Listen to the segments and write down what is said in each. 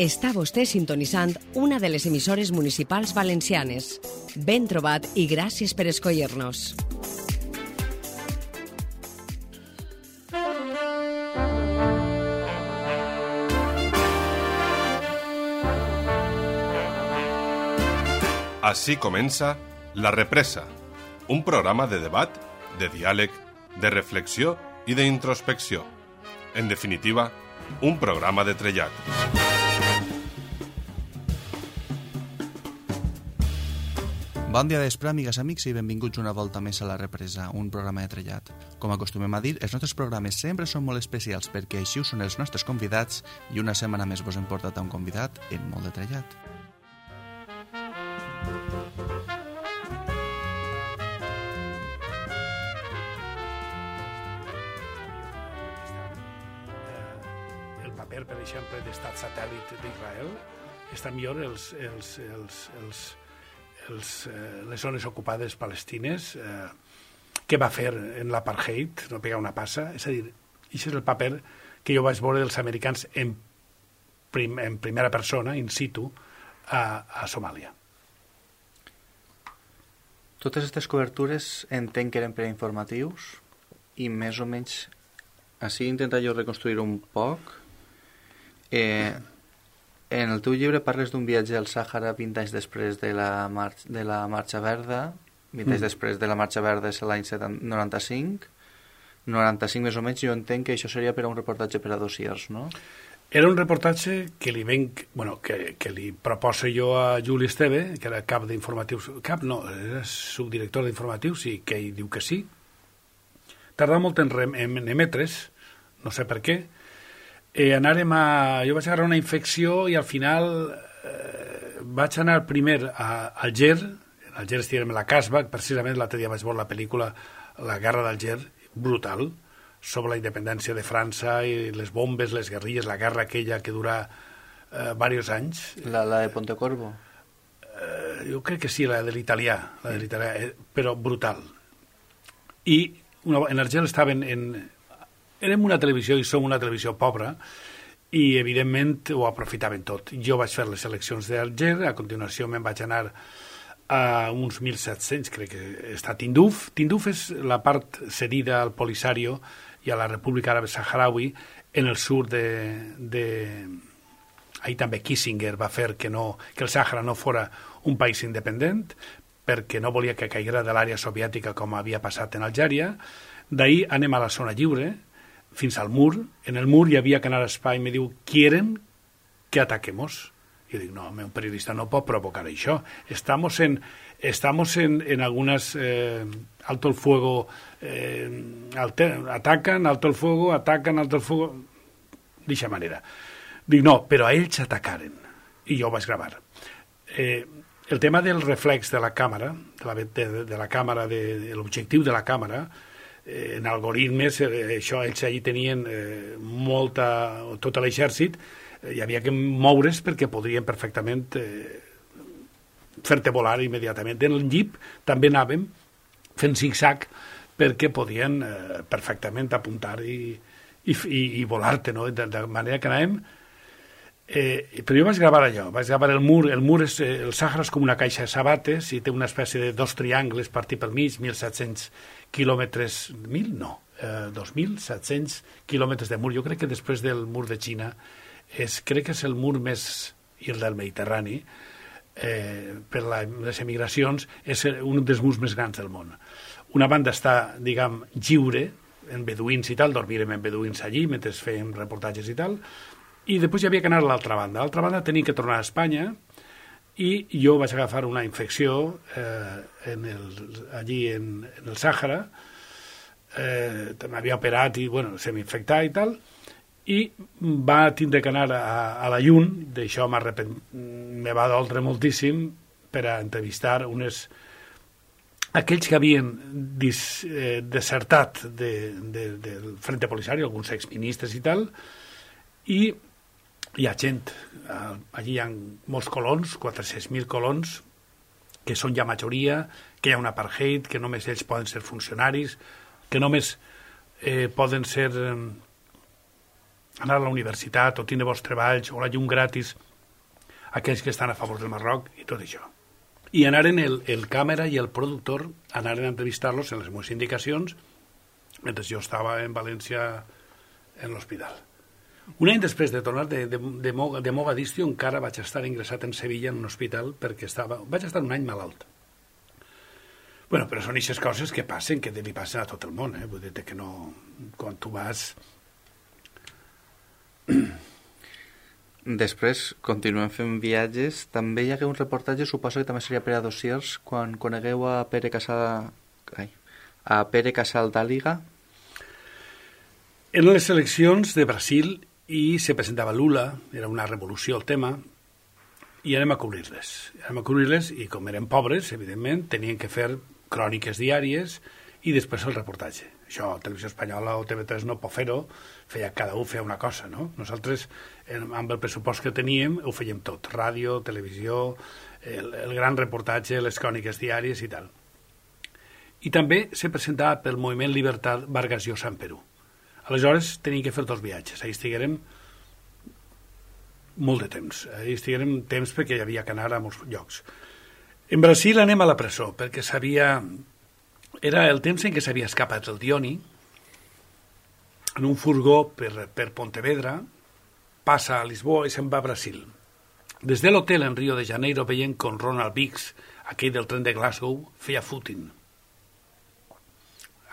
Està vostè sintonitzant una de les emissores municipals valencianes. Ben trobat i gràcies per escollir-nos. Així comença La Represa, un programa de debat, de diàleg, de reflexió i d'introspecció. En definitiva, un programa de trellat. Bon dia d'espre, amigues, amics, i benvinguts una volta més a La Represa, un programa de trellat. Com acostumem a dir, els nostres programes sempre són molt especials perquè així ho són els nostres convidats i una setmana més vos hem portat a un convidat en molt de trellat. Per exemple, d'estat satèl·lit d'Israel, està millor les zones ocupades palestines. Què va fer en l'apartheid? No pegar una passa. És a dir, això és el paper que jo vaig veure dels americans en primera persona, in situ, a Somàlia. Totes aquestes cobertures entenc que eren per informatius i més o menys així intentar jo reconstruir un poc. En el teu llibre parles d'un viatge al Sàhara 20 anys després de la Marxa Verda. 20 anys després de la Marxa Verda és l'any 95. 95 més o menys, jo entenc que això seria per a un reportatge per a dossiers, no? Era un reportatge que li proposa jo a Juli Esteve, que era cap d'informatius, era subdirector d'informatius, i que ell diu que sí. Tardà molt en emetre's, no sé per què. Jo vaig agarrar una infecció i al final vaig anar primer a Alger. En Alger estiguem a la Casbah, precisament l'altre dia vaig veure la pel·lícula La guerra d'Alger, brutal, sobre la independència de França i les bombes, les guerrilles, la guerra aquella que dura diversos anys. La de Pontecorvo? Jo crec que sí, la de l'italià, però brutal. I en Alger estaven érem una televisió i som una televisió pobra i evidentment ho aprofitaven tot. Jo vaig fer les eleccions d'Alger, a continuació me'n vaig anar a uns 1.700, crec que està Tinduf. Tinduf és la part cedida al Polisario i a la República Àrab Saharaui en el sud ahir també Kissinger va fer que el Sàhara no fora un país independent perquè no volia que caiguera de l'àrea soviètica com havia passat en Algèria. D'ahir anem a la zona lliure, fins al mur. En el mur hi havia que anar a espai i me diu, ¿quieren que ataquemos? Jo dic, no, un periodista no pot provocar això. Estamos en algunas alto el fuego, atacan, alto el fuego, d'eixa manera. Dic, no, però a ells atacaren. I jo ho vaig gravar. El tema del reflex de la càmera, de la càmera, de l'objectiu de la càmera, en algoritmes, això ells allí tenien tot l'exèrcit, hi havia que moure's perquè podrien perfectament fer-te volar immediatament. En el jeep també anàvem fent zig-zag perquè podien perfectament apuntar i volar-te, no? De manera que anàvem. Però jo vaig gravar allò, vaig gravar el mur. El Sàhara és com una caixa de sabates i té una espècie de dos triangles partits pel mig, 1.700 quilòmetres, 2.700 quilòmetres de mur. Jo crec que després del mur de Xina crec que és el mur més, i el del Mediterrani, per les emigracions, és un dels murs més grans del món. Una banda està, diguem, lliure, en beduïns i tal, dormirem en beduïns allí mentre fèiem reportatges i tal, i després hi havia que anar a l'altra banda. A l'altra banda tenia que tornar a Espanya i jo vaig agafar una infecció allí en el Sàhara, m'havia operat i se m'infectà i tal, i va tindre que anar a la Llun. D'això me va doldre moltíssim per a entrevistar aquells que havien desertat del Frente Polisario, alguns exministres i tal, i hi ha gent, allí hi ha molts colons, 400.000 colons, que són ja majoria, que hi ha un apartheid, que només ells poden ser funcionaris, que només poden ser anar a la universitat o tindre bons treballs o la llum gratis, aquells que estan a favor del Marroc i tot això. I anaren el càmera i el productor anaren a entrevistar-los en les meves indicacions mentre jo estava en València en l'hospital. Un any després de tornar de Mogadiscio encara vaig estar ingressat en Sevilla en un hospital perquè vaig estar un any malalt. Bueno, però són aquestes coses que passen, que li passen a tot el món, vull dir que no... Quan tu vas... Després continuem fent viatges. També hi hagué un reportatge, suposo que també seria per a dossiers, quan conegueu a Pere Casal d'Àliga. Eren les eleccions de Brasil i se presentava Lula, era una revolució el tema, i anem a cobrir-les. I com eren pobres, evidentment, tenien que fer cròniques diàries i després el reportatge. Això, Televisió Espanyola o TV3 no pot fer-ho, cada un feia una cosa, no? Nosaltres, amb el pressupost que teníem, ho fèiem tot, ràdio, televisió, el gran reportatge, les cròniques diàries i tal. I també se presentava pel moviment Libertad Vargas Llosa en Perú. Aleshores, teníem que fer 2 viatges. Ahir estiguérem molt de temps. Ahir estiguérem temps perquè hi havia que anar a molts llocs. En Brasil anem a la presó, perquè era el temps en què s'havia escapat el Dioni en un furgó per Pontevedra, passa a Lisboa i se'n va a Brasil. Des de l'hotel en Rio de Janeiro veient com Ronald Biggs, aquell del tren de Glasgow, feia footing.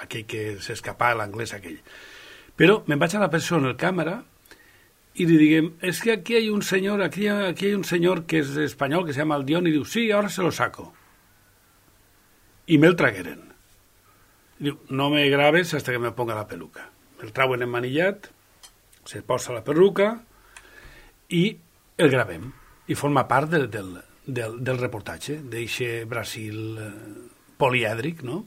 Aquell que s'escapava, l'anglès aquell. Però me'n vaig a la presó en el càmera y le diguem, es que aquí hay un señor, aquí hay un señor que es español que se llama Aldión, y diu, sí, ahora se lo saco. Y me'l tragueren. Diu, no me grabes hasta que me ponga la peluca. El trauen emmanillat, se posa la perruca i el gravem. I forma part del reportatge d'eixe Brasil polièdric, no?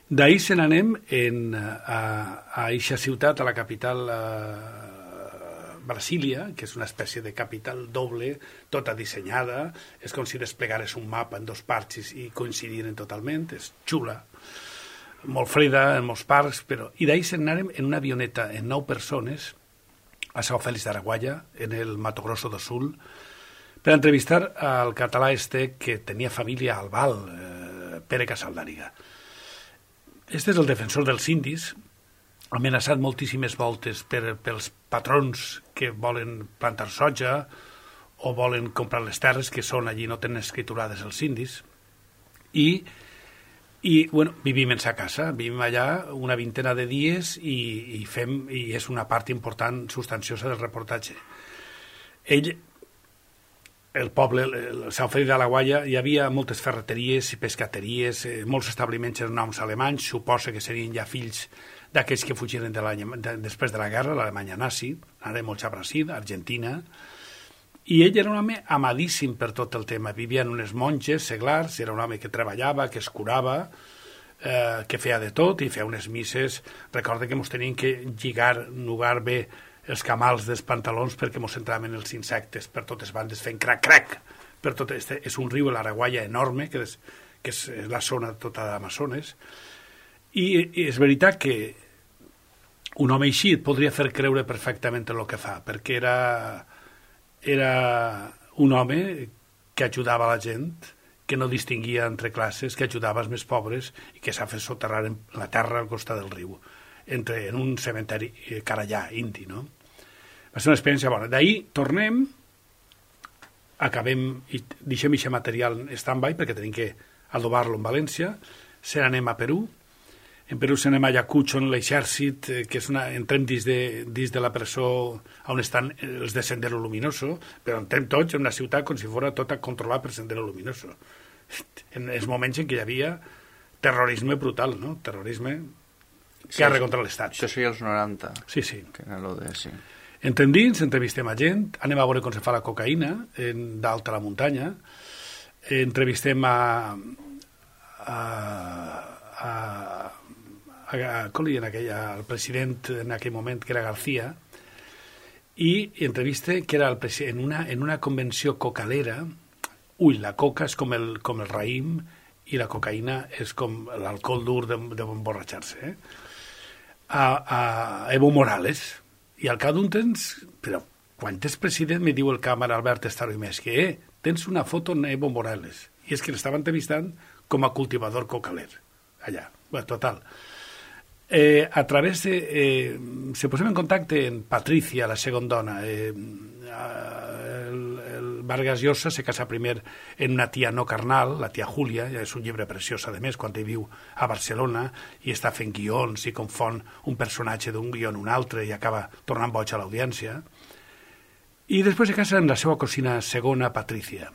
D'ahir se n'anem a eixa ciutat, a la capital Brasília, que és una espècie de capital doble, tota dissenyada, és com si desplegares un mapa en 2 parts i coincidiren totalment, és xula, molt freda en molts parcs, però... I d'ahir se n'anem en una avioneta en 9 persones a São Félix d'Araguaia, en el Mato Grosso do Sul, per entrevistar al català que tenia família al Val, Pere Casal d'Àliga. Este és el defensor dels indis, amenaçat moltíssimes voltes pels patrons que volen plantar soja o volen comprar les terres que són allí, no tenen escriturades els indis. I bueno, vivim en sa casa, vivim allà una vintena de dies i és una part important, substanciosa del reportatge. El poble, el São Félix d'Araguaia, hi havia moltes ferreteries i pescateries, molts establiments en noms alemanys, suposa que serien ja fills d'aquells que fugiren després de la guerra, l'Alemanya nazi, anaren molts a Brasil, Argentina, i ell era un home amadíssim per tot el tema. Vivien unes monges seglars, era un home que treballava, que es curava, que feia de tot i feia unes misses. Recorda que ens tenien que nugar bé els camals dels pantalons perquè ens entraven els insectes per totes bandes fent crac-crac. És un riu, l'Araguaia, enorme, que és la zona tota d'Amazones. I és veritat que un home així et podria fer creure perfectament el que fa, perquè era un home que ajudava la gent, que no distinguia entre classes, que ajudava els més pobres i que s'ha fet soterrar en la terra al costat del riu, en un cementeri carallà, indi, no? Va ser una experiència bona. D'ahir tornem, acabem i deixem aquest material en stand-by perquè tenim que adobar-lo en València, se n'anem a Perú. En Perú se n'anem a Ayacucho, en l'exèrcit, que entrem dins de la presó on estan els de Sendero Luminoso, però entrem tots en una ciutat com si fos tota controlada per Sendero Luminoso. En els moments en què hi havia terrorisme brutal, no? Terrorisme, guerra contra l'Estat. Això seria els 90. Sí, sí. Que era lo de... Sí. Entrem dins, entrevistem a gent, anem a veure com se fa la cocaïna dalt a la muntanya, entrevistem al president en aquell moment, que era García, i entrevista que era en una convenció cocalera. La coca és com el raïm i la cocaïna és com l'alcohol dur d'emborratxar-se. A Evo Morales, I al cap d'un temps, però quan ets president, me diu el càmera Albert Estaro i més, que tens una foto en Evo Morales. I és que l'estava entrevistant com a cultivador cocaler, allà. Bueno, total. A través de... se posem en contacte en Patricia, la segona dona. El Vargas Llosa se casa primer en una tia no carnal, la tia Júlia, és un llibre preciós, a més, quan ell viu a Barcelona i està fent guions i confon un personatge d'un guió en un altre i acaba tornant boig a l'audiència. I després se casa en la seva cosina segona, Patricia.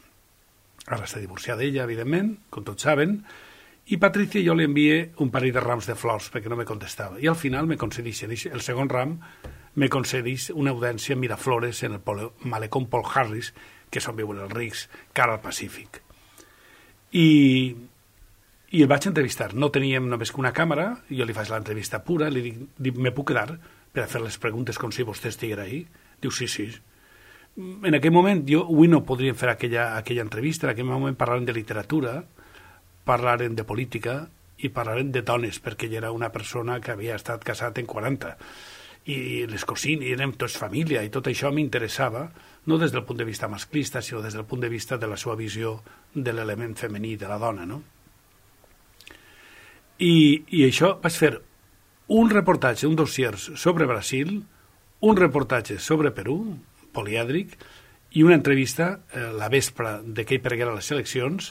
Ara està divorciada d'ella, evidentment, com tots saben, i Patricia jo li envie un parell de rams de flors perquè no me contestava. I al final me concedeixen, el segon ram me concedeix una audiència en Miraflores en el malecón Paul Harris, que és on viuen els rics, cara al Pacífic. I el vaig entrevistar. No teníem només que una càmera, jo li faig l'entrevista pura, li dic, me puc quedar per a fer les preguntes com si vostè estiguera ahí? Diu, sí. En aquell moment, avui no podríem fer aquella entrevista, en aquell moment parlàvem de literatura, parlàvem de política i parlàvem de dones, perquè ella era una persona que havia estat casat en 40 i les cosines, i érem tots família, i tot això m'interessava, no des del punt de vista masclista, sinó des del punt de vista de la seva visió de l'element femení de la dona, no? I això vaig fer un reportatge, un dossier sobre Brasil, un reportatge sobre Perú, polièdric, i una entrevista la vespre de que hi perguera les eleccions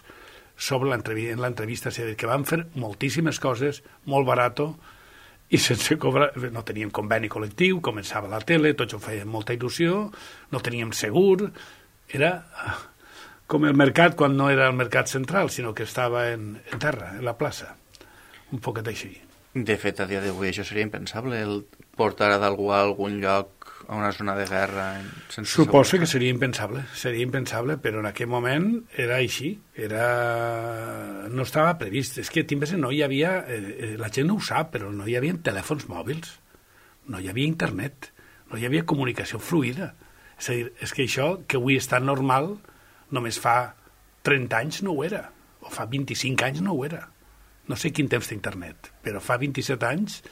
sobre l'entrevista, és a dir, que van fer moltíssimes coses, molt barato, i sense cobrar, no teníem conveni col·lectiu, començava la tele, tots ho feien molta il·lusió, no teníem segur, era com el mercat quan no era el mercat central, sinó que estava en terra, en la plaça, un poquet així. De fet, a dia d'avui això seria impensable, el portar d'algú a algun lloc, a una zona de guerra... Suposo que seria impensable, però en aquell moment era així, no estava previst. És que no hi havia, la gent no ho sap, però no hi havia telèfons mòbils, no hi havia internet, no hi havia comunicació fluida. És a dir, és que això, que avui és tan normal, només fa 30 anys no ho era, o fa 25 anys no ho era. No sé quin temps d'internet, però fa 27 anys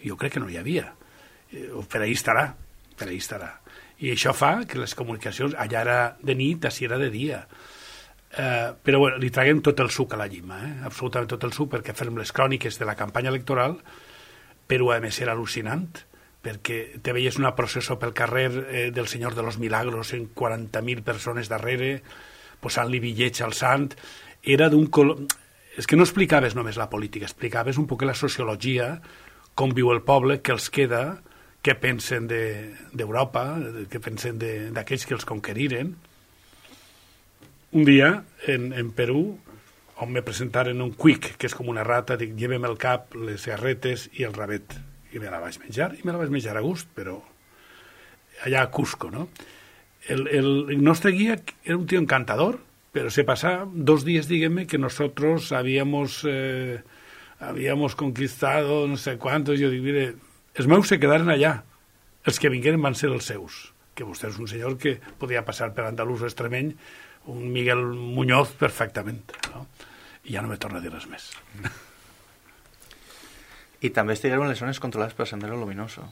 jo crec que no hi havia. Per ahí estarà. I això fa que les comunicacions, allà era de nit, així era de dia. Però bueno, li traguem tot el suc a la llima, absolutament tot el suc, perquè fem les cròniques de la campanya electoral, però a més era al·lucinant, perquè te veies una processó pel carrer del Senyor de los Milagros en 40.000 persones darrere, posant-li bitllets al sant, era d'un color... És que no explicaves només la política, explicaves un poc la sociologia, com viu el poble, què els queda, què pensen d'Europa, què pensen d'aquells que els conqueriren. Un dia, en Perú, on me presentaren un cuic, que és com una rata, dic, llevem el cap, les garretes i el rabet. I me la vaig menjar, a gust, però allà a Cusco, no? El nostre guia era un tío encantador, pero se pasaba 2 días, dígame, que nosotros habíamos conquistado no sé cuántos. Yo digo, mire, els meus se quedaren allà. Els que vingueren van ser els seus. Que vostè és un senyor que podia passar per andalús o extremeny, un Miguel Muñoz perfectament, no? I ja no me torna a dir res més. I també estigueren les zones controlades per Sendero Luminoso.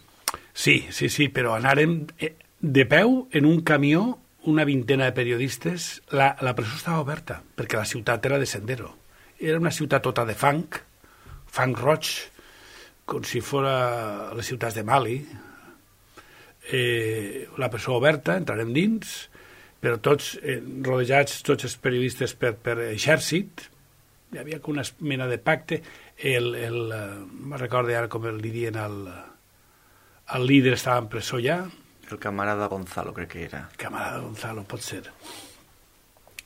Sí, però anàrem de peu en un camió, una vintena de periodistes. La presó estava oberta, perquè la ciutat era de Sendero. Era una ciutat tota de fang roig, com si fora les ciutats de Mali. La presó oberta, entrarem dins, però tots rodejats, tots els periodistes per exèrcit. Hi havia una mena de pacte. Me recordo ara com li diuen el líder estava en presó ja. El camarada Gonzalo, crec que era. Camarada Gonzalo, pot ser.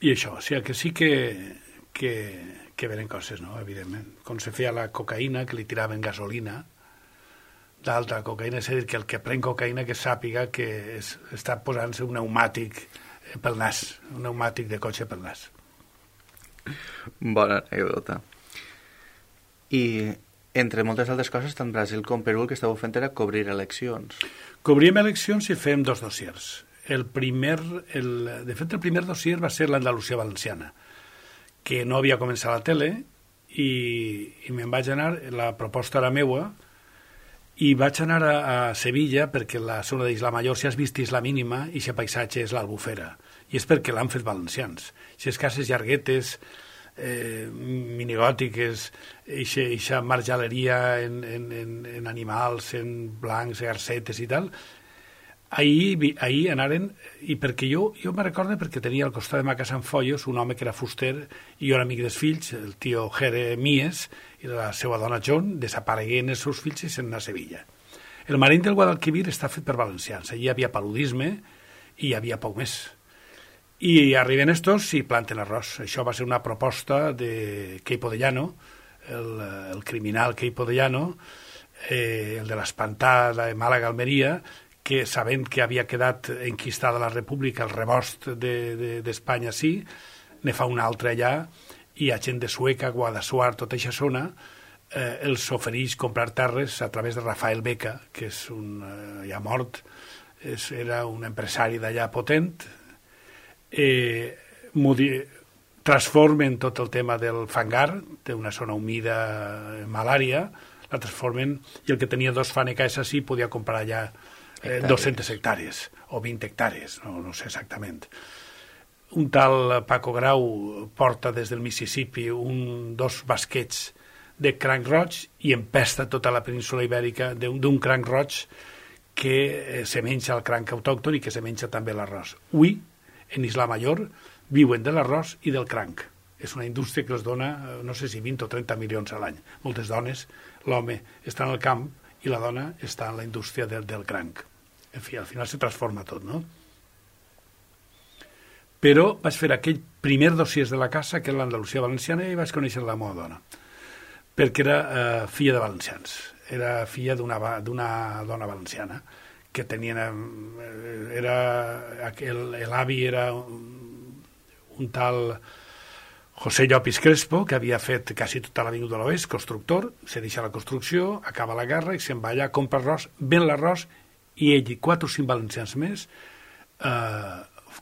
I això, o sigui, que sí que venen coses, no?, evidentment. Com se feia la cocaïna, que li tiraven gasolina, d'altra cocaïna, és a dir, que el que pren cocaïna que sàpiga que està posant-se un pneumàtic pel nas, un pneumàtic de cotxe pel nas. Bona anècdota. I entre moltes altres coses, tant Brasil com Perú el que estàveu fent era cobrir eleccions. Cobríem eleccions i fèiem 2 dossiers. De fet, el primer dossier va ser l'Andalusia Valenciana, que no havia començat a la tele, i me'n vaig anar, la proposta era meua, I vaig anar a Sevilla perquè la zona d'Isla Mayor, si has vist Isla Mínima, i aquest paisatge és l'Albufera. I és perquè l'han fet valencians. Aquestes cases llarguetes, minigòtiques, eixa marjaleria en animals, en blancs, garcetes i tal, ahir anaren, i perquè jo me recordo perquè tenia al costat de ma casa en Follos un home que era fuster i jo era amic dels fills, el tio Jeremies i la seva dona John, desaparegueren els seus fills i se'n anar a Sevilla. El Marín del Guadalquivir està fet per valencians, allí hi havia paludisme i hi havia poc més. I arriben estos i planten arròs. Això va ser una proposta de Queipo de Llano, el criminal Queipo de Llano, el de l'espantada de Màlaga-Almeria, que sabent que havia quedat enquistada la República, el rebost d'Espanya sí, ne fa una altra allà, i a gent de Sueca, Guadassuar, tota aquesta zona, els ofereix comprar terres a través de Rafael Beca, que és ja mort, era un empresari d'allà potent, transformen tot el tema del fangar, d'una zona humida, malària, la transformen, i el que tenia 2 fanecas així podia comprar allà 200 hectàrees o 20 hectàrees, no sé exactament. Un tal Paco Grau porta des del Mississippi 2 basquets de cranc roig i empesta tota la península ibèrica d'un cranc roig que se menja el cranc autòcton i que se menja també l'arròs. Avui, en Isla Mayor, viuen de l'arròs i del cranc. És una indústria que els dona, no sé si 20 o 30 milions a l'any. Moltes dones, l'home està en el camp i la dona està en la indústria del cranc. En fi, al final se transforma tot, no? Però vaig fer aquell primer dossier de la casa, que és l'Andalusia valenciana, i vaig conèixer la meva dona, perquè era filla de valencians. Era filla d'una dona valenciana, que tenien... L'avi era un tal José Llopis Crespo, que havia fet quasi tota l'Avinguda de l'Oest, constructor, se deixa la construcció, acaba la guerra i se'n va allà, compra arròs, ven l'arròs, i ell i 4 o 5 valencians més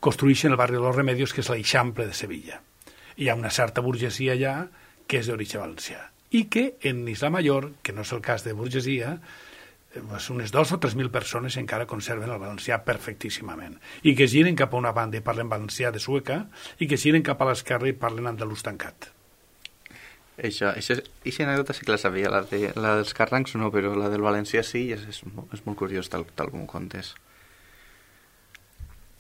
construeixen el barri de los Remedios, que és l'Eixample de Sevilla. Hi ha una certa burgesia allà que és d'origen valencià. I que en Isla Mayor, que no és el cas de burgesia, unes 2 o 3.000 persones encara conserven el valencià perfectíssimament, i que giren cap a una banda i parlen valencià de Sueca, i que giren cap a l'esquerra i parlen andalús tancat. Eixa anècdota sí que la sabia, la dels carrancs no, però la del valencià sí, i és molt curiós tal com ho contes.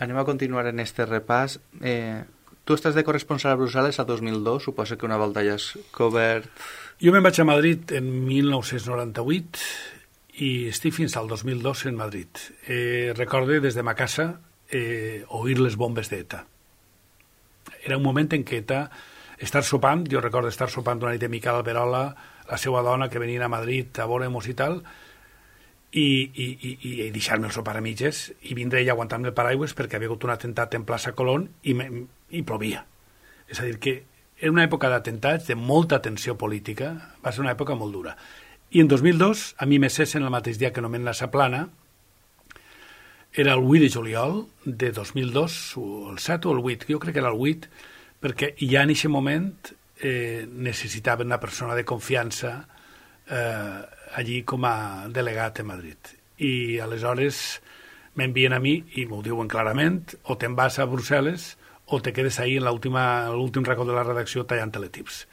Anem a continuar en este repàs. Tu estàs de corresponsal a Brussel·les a 2002, suposo que una volta ja has cobert... Jo me'n vaig a Madrid en 1998 i estic fins al 2002 en Madrid. Recorde des de ma casa oir les bombes d'ETA. Era un moment en què ETA, jo recordo estar sopant una nit de Miquel Alberola, la seva dona, que venien a Madrid a veure-mos i tal, i deixar-me el sopar a mitges, i vindre ella aguantant-me el paraigües perquè havia hagut un atemptat en plaça Colón i plovia. És a dir, que era una època d'atemptats, de molta tensió política, va ser una època molt dura. I en 2002, a mi me cessen el mateix dia que nomen la Saplana, era el 8 de juliol de 2002, el 7 o el 8, jo crec que era el 8, perquè ja en aquest moment necessitaven una persona de confiança allí com a delegat a Madrid. I aleshores m'envien a mi, i m'ho diuen clarament, o te'n vas a Brussel·les o te quedes ahí en l'últim racó de la redacció tallant teletips.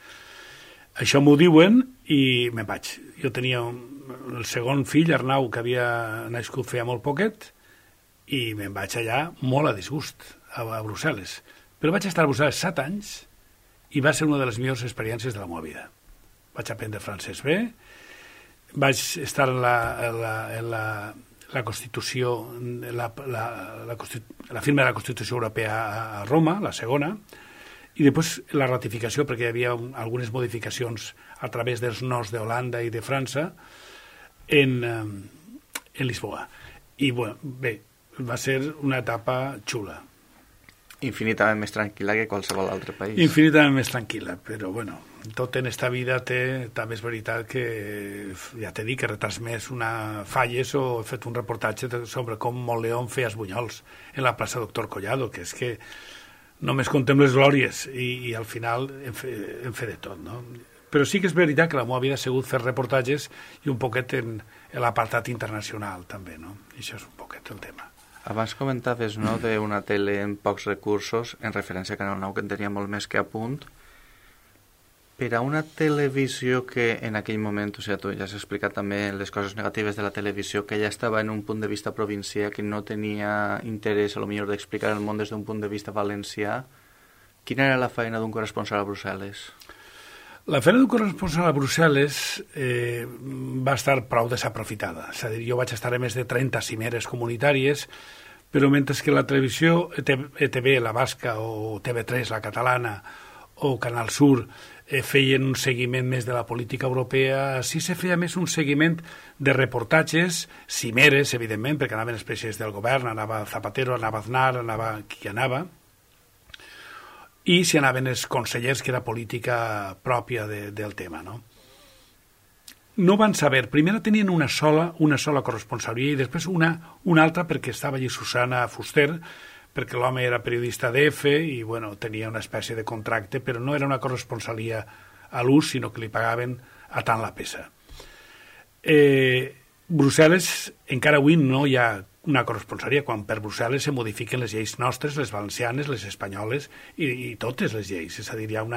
Això m'ho diuen i me'n vaig. Jo tenia el segon fill, Arnau, que havia nascut feia molt poquet, i me'n vaig allà molt a disgust, a Brussel·les. Però vaig estar a Brussel·les 7 anys i va ser una de les millors experiències de la meva vida. Vaig aprendre francès bé, vaig estar en la Constitució, la firma de la Constitució Europea a Roma, la segona, i després la ratificació, perquè hi havia algunes modificacions a través dels nos d'Holanda i de França en Lisboa. I bé, va ser una etapa xula. Infinitament més tranquil·la que qualsevol altre país. Infinitament més tranquil·la, però bueno, tot en esta vida també és veritat que, ja t'he dit, que he retransmès una falles o he fet un reportatge sobre com Montleón feia els bunyols en la plaça Doctor Collado, que és que només contem les glòries i al final hem fet de tot, no? Però sí que és veritat que la meva vida ha sigut fer reportatges i un poquet en l'apartat internacional, també, no? I això és un poquet el tema. Abans comentaves, no?, d'una tele amb pocs recursos, en referència a Canal 9, que en tenia molt més que a punt. Per a una televisió que en aquell moment, o sigui, tu ja has explicat també les coses negatives de la televisió, que ja estava en un punt de vista provincià, que no tenia interès, a lo millor, d'explicar el món des d'un punt de vista valencià, quina era la feina d'un corresponsal a Brussel·les? La feina d'un corresponsal a Brussel·les va estar prou desaprofitada. És a dir, jo vaig estar a més de 30 cimeres comunitàries, però mentre que la televisió ETV, la basca, o TV3, la catalana, o Canal Sur, feien un seguiment més de la política europea, sí se feia més un seguiment de reportatges, cimeres, evidentment, perquè anaven els presidents del govern, anava Zapatero, anava Aznar, anava qui anava, i si anaven els consellers, que era política pròpia del tema, no? No van saber, primer tenien una sola corresponsalia i després una altra perquè estava allí Susana Fuster, perquè l'home era periodista d'EF i bueno, tenia una espècie de contracte, però no era una corresponsalia a l'ús, sinó que li pagaven a tant la peça. Brussel·les, encara avui no hi ha una corresponsalia, quan per Brussel·les se modifiquen les lleis nostres, les valencianes, les espanyoles i totes les lleis. És a dir, hi ha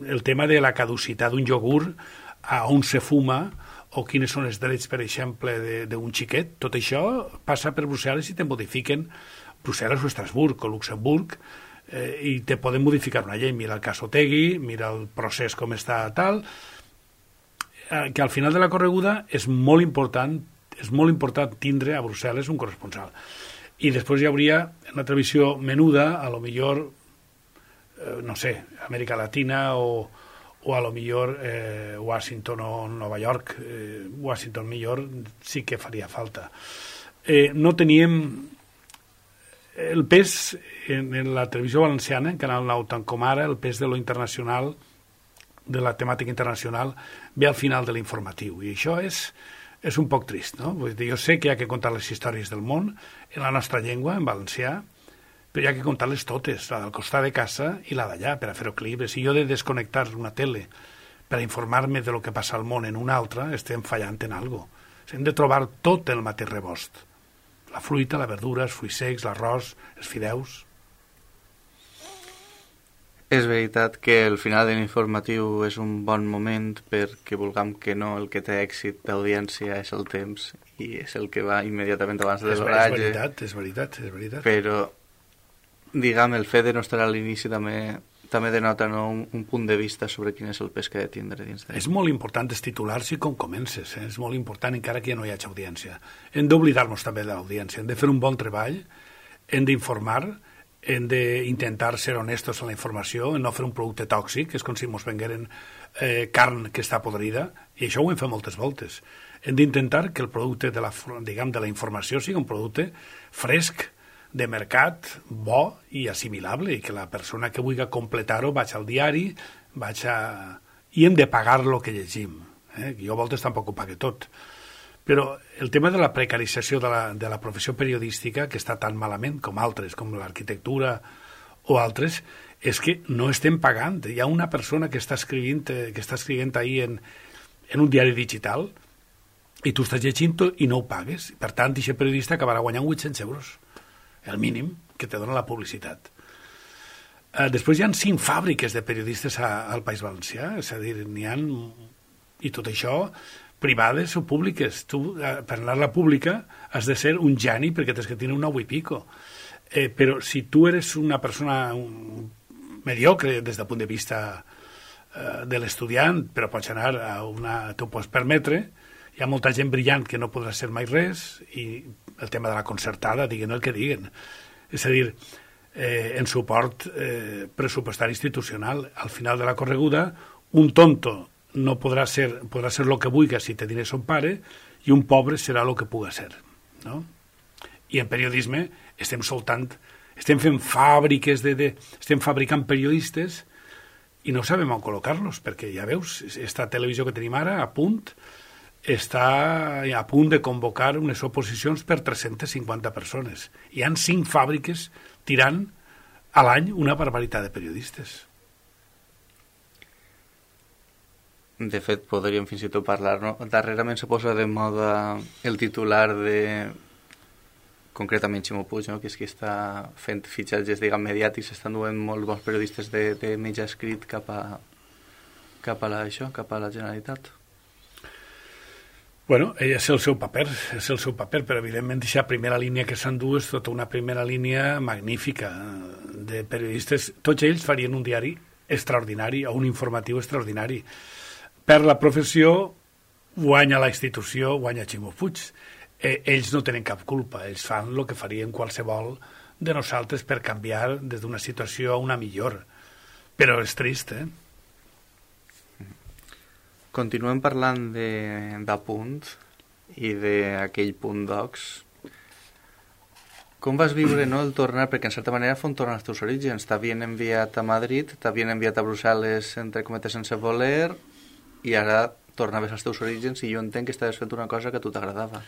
el tema de la caducitat d'un iogurt, a on se fuma, o quines són els drets, per exemple, d'un xiquet, tot això passa per Brussel·les i te modifiquen Brussel·les o Estrasburg o Luxemburg i te poden modificar una llei. Mira el cas Otegi, mira el procés com està tal, que al final de la correguda és molt important tindre a Brussel·les un corresponsal. I després hi hauria una televisió menuda, a lo millor, no sé, Amèrica Latina o a lo millor Washington o Nova York. Washington millor sí que faria falta. No teníem el pes en la televisió valenciana, en Canal 9, tant com ara, el pes de lo internacional, de la temàtica internacional, ve al final de l'informatiu. I això és un poc trist, no? Vull dir, jo sé que hi ha que contar les històries del món en la nostra llengua, en valencià, però hi ha que contar-les totes, la del costat de casa i la d'allà, per a fer equilibri. Si jo he de desconnectar una tele per a informar-me de lo que passa al món en una altra, estem fallant en alguna cosa. Hem de trobar tot el mateix rebost. La fruita, la verdura, els fruits secs, l'arròs, els fideus. És veritat que el final de l'informatiu és un bon moment perquè vulguem que no, el que té èxit d'audiència és el temps i és el que va immediatament abans de l'oratge. És veritat. Però, diguem, el fet de no estar a l'inici també denota, no, un punt de vista sobre quin és el pes que ha de tindre dins de... És molt important els titulars i com comences, és molt important encara que ja no hi hagi audiència. Hem d'oblidar-nos també de l'audiència, hem de fer un bon treball, hem d'informar, hem d'intentar ser honestos en la informació, no fer un producte tòxic, és com si ens vengueren carn que està podrida, i això ho hem fet moltes voltes. Hem d'intentar que el producte de la informació sigui un producte fresc, de mercat, bo i assimilable, i que la persona que vulgui completar-ho vagi al diari, i hem de pagar el que llegim. Jo a voltes tampoc ho pague tot. Però el tema de la precarització de la professió periodística, que està tan malament com altres, com l'arquitectura o altres, és que no estem pagant. Hi ha una persona que està escrivint ahir en un diari digital i tu estàs llegint i no ho pagues. Per tant, aquest periodista acabarà guanyant 800 euros. El mínim que te dona la publicitat. Després hi ha 5 fàbriques de periodistes al País Valencià, és a dir, n'hi ha, i tot això, privades o públiques. Tu, per anar a la pública, has de ser un geni perquè tens que tenir un 9 i pico. Però si tu eres una persona mediocre des del punt de vista de l'estudiant, però pots anar t'ho pots permetre, hi ha molta gent brillant que no podrà ser mai res, i el tema de la concertada, diguen el que diguen. És a dir, en suport pressupostari institucional, al final de la correguda, un tonto no podrà ser el que vulgui si té diners son pare, i un pobre serà el que puga ser. No? I en periodisme estem fent fàbriques, estem fabricant periodistes i no sabem on col·locar-los, perquè ja veus, esta televisió que tenim ara a punt està a punt de convocar unes oposicions per 350 persones. Hi han 5 fàbriques tirant a l'any una barbaritat de periodistes. De fet, podríem fins i tot parlar, no? Darrerament se posa de moda el titular de, concretament Ximo Puig, no? Que és qui està fent fitxatges, diguem, mediàtics, estan duent molts bons periodistes de mitjà escrit cap a la Generalitat. Bueno, és el seu paper, però evidentment aquesta primera línia que s'endú és tota una primera línia magnífica de periodistes. Tots ells farien un diari extraordinari o un informatiu extraordinari. Per la professió guanya la institució, guanya Ximo Puig. Ells no tenen cap culpa, ells fan el que farien qualsevol de nosaltres per canviar des d'una situació a una millor. Però és trist, Continuem parlant d'Apunt i d'aquell Punt Docs. Com vas viure, no, el tornar? Perquè, en certa manera, fon tornar als teus orígens. T'havien enviat a Madrid, t'havien enviat a Brussel·les, entre cometes, sense voler, i ara tornaves als teus orígens i jo entenc que estaves fent una cosa que a tu t'agradava.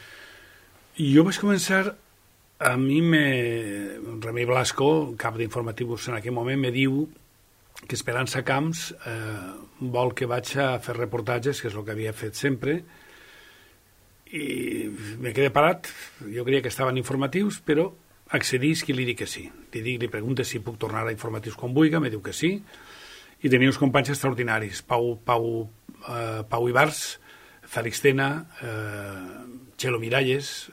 Jo vaig començar... A mi, Remei Blasco, cap d'informatius en aquell moment, me diu que Esperança Camps vol que vaig a fer reportatges, que és el que havia fet sempre, i me quedé parat. Jo creia que estaven informatius, però accedisc i li dic que sí. Li pregunto si puc tornar a informatius com vulgui, me diu que sí, i tenia uns companys extraordinaris, Pau Ibars, Fèlix Tena, Txelo Miralles,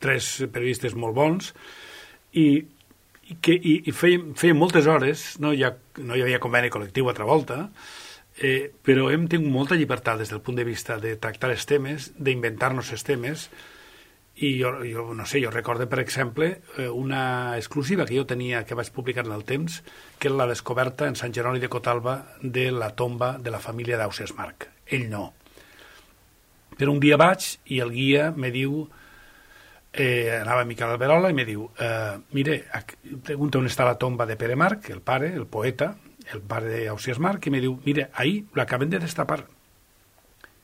3 periodistes molt bons, i feia moltes hores, no hi havia conveni col·lectiu altra volta, però hem tingut molta llibertat des del punt de vista de tractar els temes, d'inventar-nos els temes, i jo no sé, jo recordo, per exemple, una exclusiva que jo tenia, que vaig publicar en el temps, que era la descoberta en Sant Jeroni de Cotalba de la tomba de la família d'Ausiàs Marc. Ell no. Però un dia vaig i el guia me diu... anava Miquel Alberola i me diu mire, pregunta on està la tomba de Pere Marc, el pare, el poeta, el pare d'Ausiàs Marc, i me diu, mire, ahí l'acaben de destapar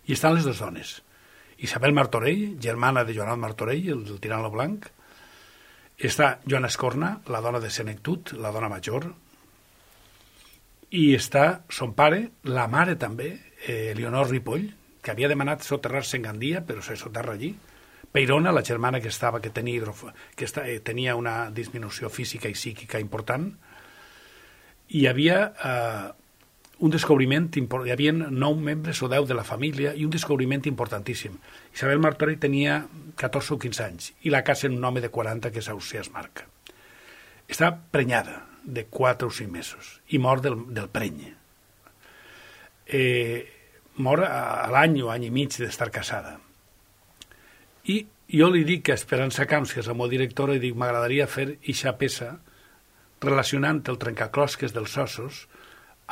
i estan les 2 dones, Isabel Martorell, germana de Joanot Martorell, el tirant lo blanc, està Joana Escorna, la dona de Senectut, la dona major, i està son pare, la mare també, Leonor Ripoll, que havia demanat soterrar-se en Gandia, però se soterra allí, Peirona, la germana que tenia una disminució física i psíquica important, i hi havia un descobriment important, hi havia 9 membres o 10 de la família i un descobriment importantíssim. Isabel Martorell tenia 14 o 15 anys i la casa en un home de 40 que és Ausiàs Marc. Està prenyada de 4 o 5 mesos i mor del preny. Mor a l'any o any i mig d'estar casada. I jo li dic a Esperança Camps, que és el meu director, i dic, m'agradaria fer ixa peça relacionant el trencaclosques dels ossos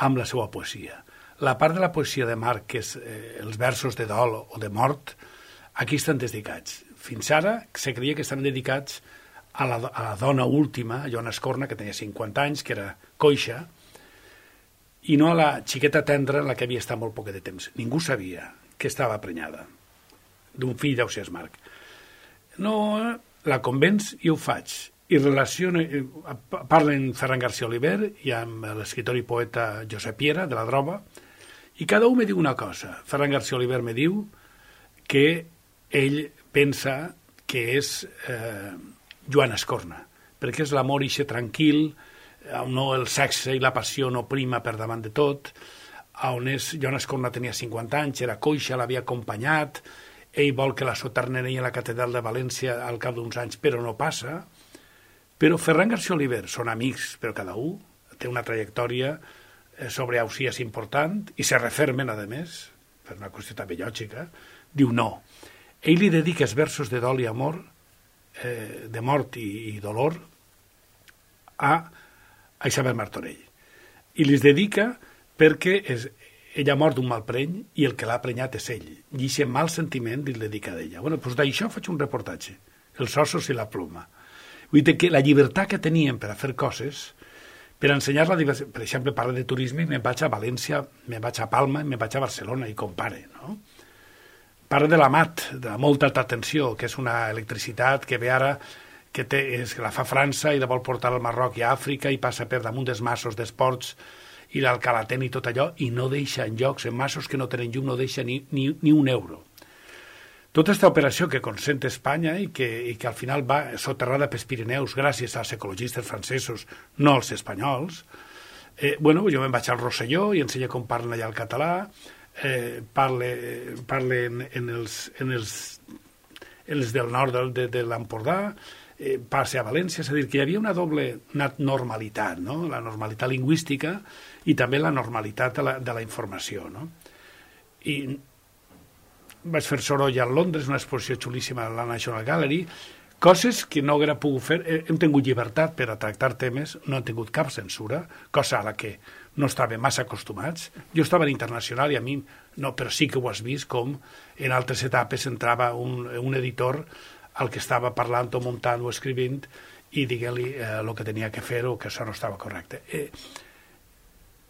amb la seva poesia. La part de la poesia de Marc, que és els versos de dol o de mort, aquí estan dedicats. Fins ara se creia que estan dedicats a la dona última, Joana Escorna, que tenia 50 anys, que era coixa, i no a la xiqueta tendra en la que havia estat molt poc de temps. Ningú sabia que estava prenyada d'un fill d'Ausiàs Marc. No, la convenç i ho faig. I parlen Ferran García Oliver i amb l'escriptor i poeta Josep Piera, de la Droba, i cada un me diu una cosa. Ferran García Oliver me diu que ell pensa que és Joana Escorna, perquè és l'amor ixe tranquil, on no el sexe i la passió no prima per davant de tot, on Joana Escorna tenia 50 anys, era coixa, l'havia acompanyat, ell vol que la soterreni a la catedral de València al cap d'uns anys, però no passa. Però Ferran García Oliver són amics, però cada un té una trajectòria sobre Ausiàs important, i se refermen, a més, per una qüestió també lògica, diu no. Ell li dedica els versos de dol i amor, de mort i dolor, a Isabel Martorell. I li dedica perquè ella ha mort d'un mal preny i el que l'ha prenyat és ell. I aquest mal sentiment li dedica a ella. Bueno, doncs d'això faig un reportatge, els ossos i la ploma. Vull dir que la llibertat que teníem per a fer coses, per ensenyar la diversitat, per exemple, parla de turisme, me'n vaig a València, me'n vaig a Palma, me'n vaig a Barcelona i compare, no? Parla de la MAT, de la molta alta tensió, que és una electricitat que ve ara, que la fa França i la vol portar al Marroc i a Àfrica i passa per damunt dels massos d'esports i l'Alcalatén i tot allò, i no deixa en llocs, en massos que no tenen llum, no deixa ni un euro. Tota aquesta operació que consent Espanya i que al final va soterrada pels Pirineus gràcies als ecologistes francesos, no als espanyols, jo me'n vaig al Rosselló i ensenya com parlen allà el català, parlen en els del nord de l'Empordà, passe a València, és a dir, que hi havia una doble normalitat, no? La normalitat lingüística i també la normalitat de la informació, no? I vaig fer soroll a Londres, una exposició xulíssima a la National Gallery, coses que no hauria pogut fer. Hem tingut llibertat per a tractar temes, no hem tingut cap censura, cosa a la que no estàvem massa acostumats. Jo estava en internacional i a mi no, però sí que ho has vist com en altres etapes entrava un editor al que estava parlant o muntant o escrivint i diguent-li el que tenia que fer o que això no estava correcte.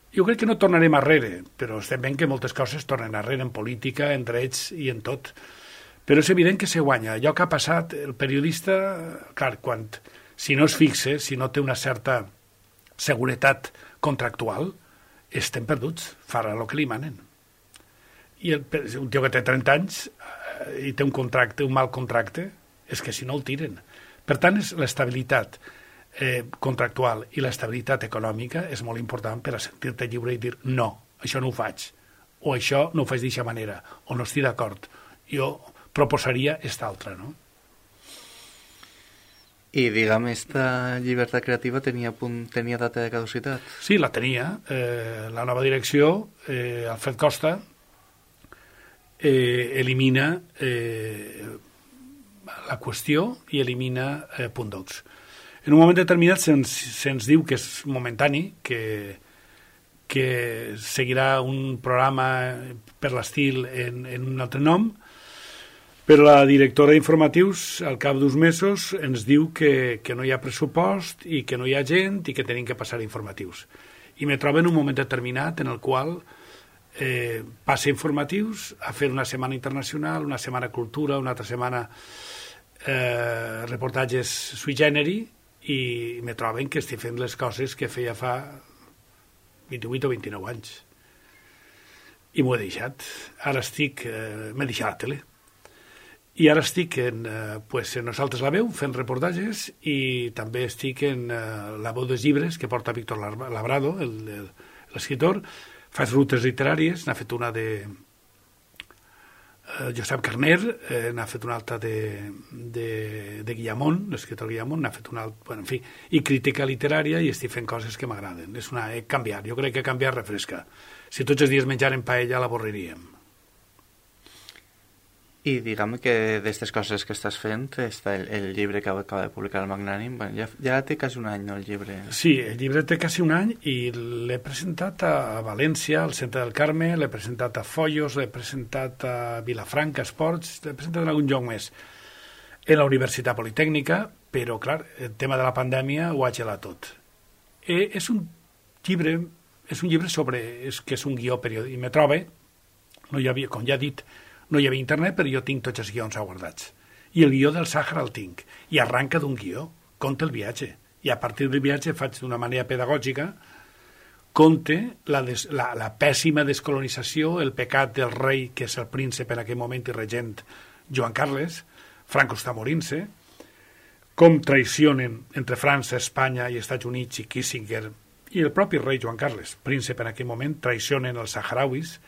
Jo crec que no tornarem arrere, però estem veient que moltes coses tornen arrere en política, en drets i en tot. Però és evident que se guanya. Allò que ha passat, el periodista, clar, si no es fixa, si no té una certa seguretat contractual, estem perduts, farà el que li manen. I un tio que té 30 anys i té un mal contracte, és que si no el tiren. Per tant, l'estabilitat contractual i l'estabilitat econòmica és molt important per a sentir-te lliure i dir no, això no ho faig, o això no ho faig d'aquesta manera, o no estic d'acord. Jo proposaria esta altra, no? I, diguem, esta llibertat creativa tenia data de caducitat? Sí, la tenia. La nova direcció, Alfred Costa, elimina la qüestió i elimina punt docs. En un moment determinat se'ns diu que és momentani, que seguirà un programa per l'estil en un altre nom, però la directora d'informatius, al cap d'uns mesos, ens diu que no hi ha pressupost i que no hi ha gent i que tenim que passar informatius. I me trobo en un moment determinat en el qual passa informatius a fer una setmana internacional, una setmana cultura, una altra setmana reportatges sui generi, i me troben que estic fent les coses que feia fa 28 o 29 anys. I m'ho he deixat. Ara m'he deixat la tele. I ara estic en Nosaltres la veu, fent reportatges, i també estic en La veu dels llibres, que porta Víctor Labrado, l'escriptor. Faig rutes literàries, n'ha fet una de Josep Carner, n'ha fet una altra de Guillamón, l'escriptor Guillamón, n'ha fet una altra, en fi, i crítica literària, i estic fent coses que m'agraden. He canviat, jo crec que canviar refresca. Si tots els dies menjaren paella l'avorriríem. I diguem que d'aquestes coses que estàs fent està el llibre que acaba de publicar el Magnànim. Ja té quasi un any, no, el llibre? Sí, el llibre té quasi un any i l'he presentat a València, al Centre del Carme, l'he presentat a Foios, l'he presentat a Vilafranca Esports, l'he presentat en algun lloc més. En la Universitat Politècnica, però, clar, el tema de la pandèmia ho ha gelat tot. És un llibre sobre... que és un guió periòdic. I me trobe, no hi havia, com ja he dit, no hi havia internet, però jo tinc tots els guions guardats. I el guió del Sàhara el tinc. I arranca d'un guió, conta el viatge. I a partir del viatge faig d'una manera pedagògica, conte la pèssima descolonització, el pecat del rei, que és el príncep en aquell moment i regent Joan Carles, Franco està morint-se, com traicionen entre França, Espanya i Estats Units i Kissinger i el propi rei Joan Carles, príncep en aquell moment, traicionen els saharauis,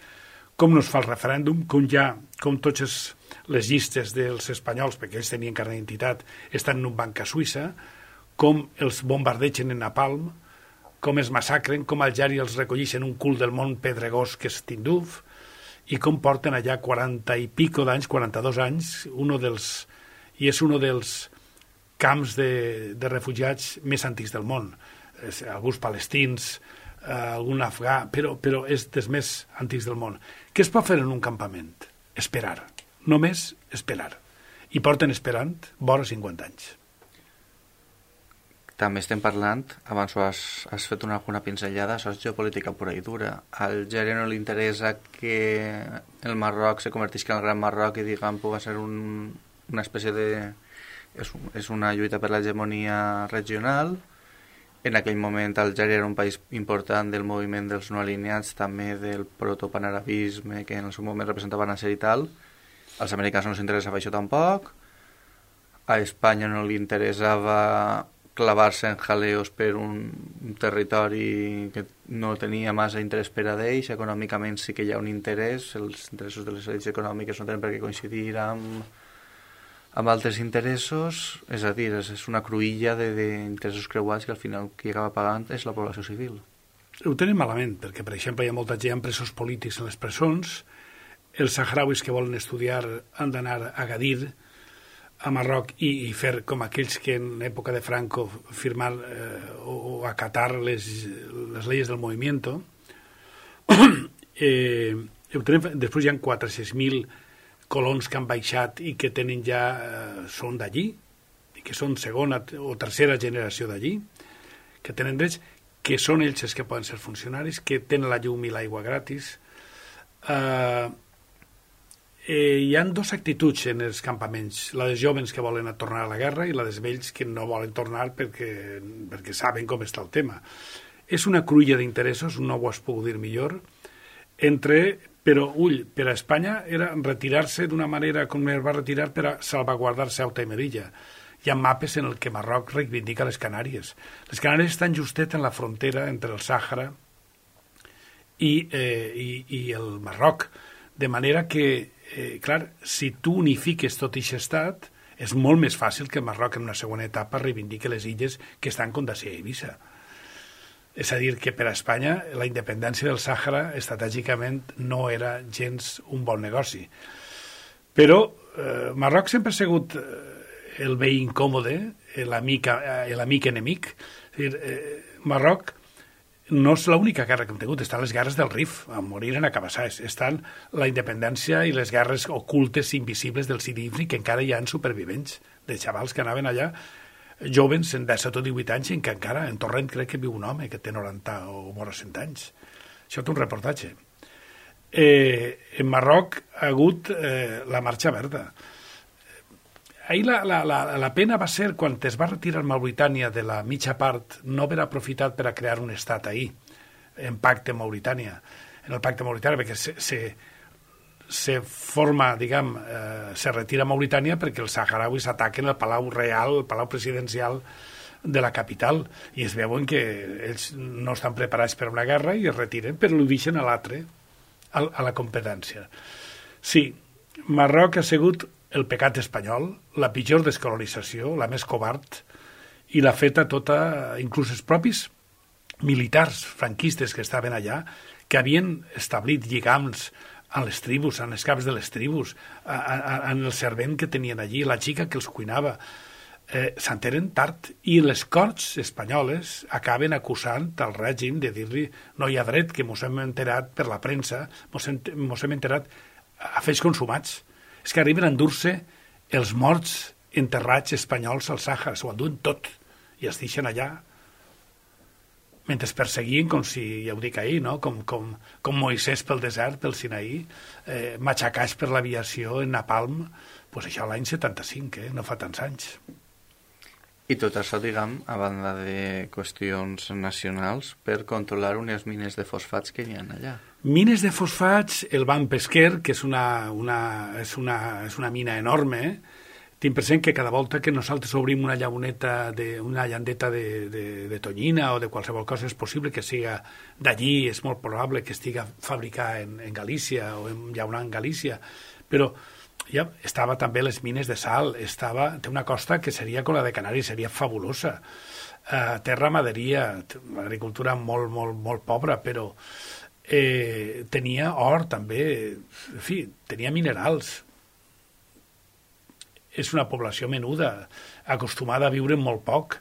com no es fa el referèndum, com totes les llistes dels espanyols, perquè ells tenien carnet d'identitat, estan en un banc a Suïssa, com els bombardegen en Napalm, com es massacren, com Algeri els recollixen un cul del món pedregós que és Tinduf, i com porten allà 40 i pico d'anys, 42 anys, i és un dels camps de refugiats més antics del món. Alguns palestins, algun afgà, però és dels més antics del món. Què es pot fer en un campament? Esperar. Només esperar. I porten esperant vora 50 anys. També estem parlant, abans has fet alguna pinzellada, això és geopolítica pura i dura. Al Algèria no li interessa que el Marroc se convertisca en el Gran Marroc i, diguem, pugui ser una espècie de... És una lluita per l'hegemonia regional, En aquell moment Algèria era un país important del moviment dels no alineats, també del protopanarabisme, que en el seu moment representava Nasser i tal. Als americans no els interessava això tampoc. A Espanya no li interessava clavar-se en jaleos per un territori que no tenia massa interès per a d'ells. Econòmicament sí que hi ha un interès, els interessos de les elits econòmiques no tenen per què coincidir amb altres interessos, és a dir, és una cruïlla d'interessos creuats que al final qui acaba pagant és la població civil. Ho tenen malament, perquè, per exemple, hi ha molta gent presos polítics en les presons, els sahrauis que volen estudiar han d'anar a Agadir, a Marroc, i fer com aquells que en època de Franco firmar o acatar les leyes del movimiento. Després hi ha 400.000 colons que han baixat i que tenen ja són d'allí, i que són segona o tercera generació d'allí, que tenen drets, que són ells els que poden ser funcionaris, que tenen la llum i l'aigua gratis. Hi ha dues actituds en els campaments, la dels jovens que volen tornar a la guerra i la dels vells que no volen tornar perquè saben com està el tema. És una cruïlla d'interessos, no ho has pogut dir millor, però, ull, per a Espanya era retirar-se d'una manera com es va retirar per a salvaguardar Ceuta i Melilla. Hi ha mapes en el que Marroc reivindica les Canàries. Les Canàries estan justet en la frontera entre el Sàhara i el Marroc, de manera que, clar, si tu unifiques tot aquest estat, és molt més fàcil que Marroc en una segona etapa reivindique les illes que estan com Dacia i Eivissa. És a dir, que per a Espanya la independència del Sàhara estratègicament no era gens un bon negoci. Però Marroc sempre ha sigut el veí incòmode, l'amic enemic. És a dir, Marroc no és l'única guerra que hem tingut, estan les guerres del Rif, a morir en Acabassars, estan la independència i les guerres ocultes i invisibles del Sidi Ifni, que encara hi ha supervivents, de xavals que anaven allà, jovens en 17 o 18 anys, en què encara en Torrent crec que viu un home que té 90 o vora 100 anys. Això té un reportatge. En Marroc ha hagut la Marxa Verda. Ahir la pena va ser quan es va retirar Mauritània de la mitja part, no haver aprofitat per a crear un estat ahir, en pacte Mauritània, en el pacte Mauritània, perquè se forma, diguem, se retira Mauritània perquè els saharauis ataquen el Palau Real, el Palau Presidencial de la capital, i es veuen que ells no estan preparats per una guerra i es retiren, però ho deixen a l'altre, a la competència. Sí, Marroc ha sigut el pecat espanyol, la pitjor descolonització, la més covard, i l'ha feta tota, inclús els propis militars franquistes que estaven allà, que havien establit lligams en les tribus, en els caps de les tribus, en el servent que tenien allí, la xica que els cuinava, s'enteren tard, i les corts espanyoles acaben acusant el règim de dir-li no hi ha dret, que mos hem enterat per la premsa, mos hem enterat a fets consumats. És que arriben a endur-se els morts enterrats espanyols al Sàhara, s'ho enduen tot, i es deixen allà, mentre es perseguien, com si, ja ho dic ahir, no? com Moisès pel desert, pel Sinaí, matxacats per l'aviació en Napalm, doncs això l'any 75, no fa tants anys. I tot això, diguem, a banda de qüestions nacionals, per controlar unes mines de fosfats que hi ha allà. Mines de fosfats, el Ban Pesquer, que és una mina enorme, tinc present que cada volta que nosaltres obrim una llandeta de tonyina o de qualsevol cosa, és possible que siga d'allí, és molt probable que estiga fabricat en Galícia o en llaunar en Galícia, però ja estava també les mines de sal, té una costa que seria com la de Canàries, seria fabulosa, té ramaderia, agricultura molt, molt, molt pobra, però tenia or també, en fi, tenia minerals. És una població menuda, acostumada a viure molt poc.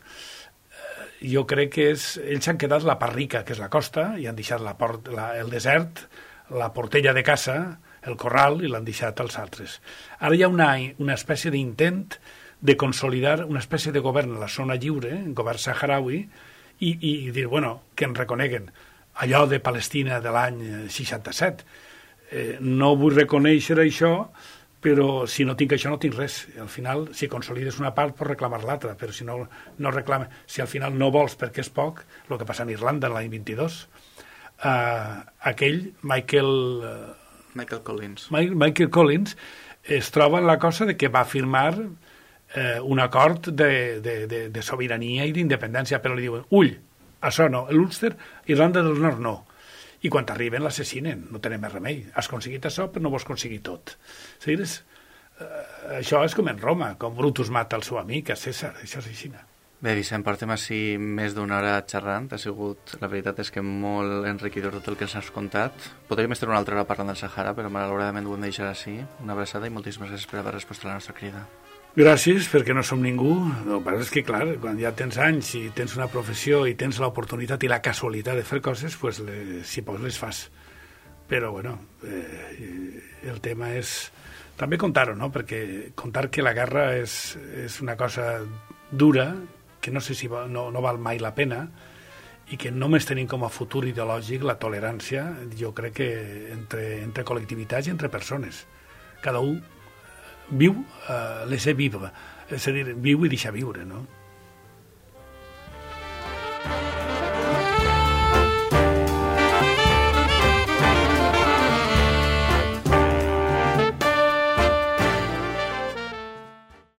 Jo crec que ells han quedat la part rica, que és la costa, i han deixat el desert, la portella de caça, el corral, i l'han deixat als altres. Ara hi ha una espècie d'intent de consolidar una espècie de govern a la zona lliure, un govern saharaui, i dir, bueno, que en reconeguen allò de Palestina de l'any 67. No vull reconèixer això però si no tinc això no tinc res. Al final, si consolides una part, pots reclamar l'altra, però si no reclames, si al final no vols perquè és poc, el que passa en Irlanda l'any 22, aquell Michael Collins es troba en la cosa de que va firmar un acord de sobirania i d'independència, però li diuen, ull, això no, l'Ulster, Irlanda del Nord no. I quan arriben l'assassinen, no tenen més remei. Has aconseguit això, però no vols aconseguir tot. Seguires? Això és com en Roma, com Brutus mata el seu amic, a César, això és així. Bé, Vicent, portem així més d'una hora xerrant. La veritat és que molt enriquidor tot el que ens has contat. Podríem estar una altra hora parlant del Sahara, però malauradament ho hem de deixar així. Una abraçada i moltíssimes gràcies per haver respost a la nostra crida. Gràcies, perquè no som ningú. El que passa és que, clar, quan ja tens anys i tens una professió i tens l'oportunitat i la casualitat de fer coses, pues si pots les fas. Però, bueno, el tema és també contar-ho, no? Perquè contar que la guerra és una cosa dura, que no sé si no val mai la pena, i que només tenim com a futur ideològic la tolerància, jo crec que entre col·lectivitats i entre persones. Cada un viu, laissez vivre, és a dir, viu i deixa viure, no?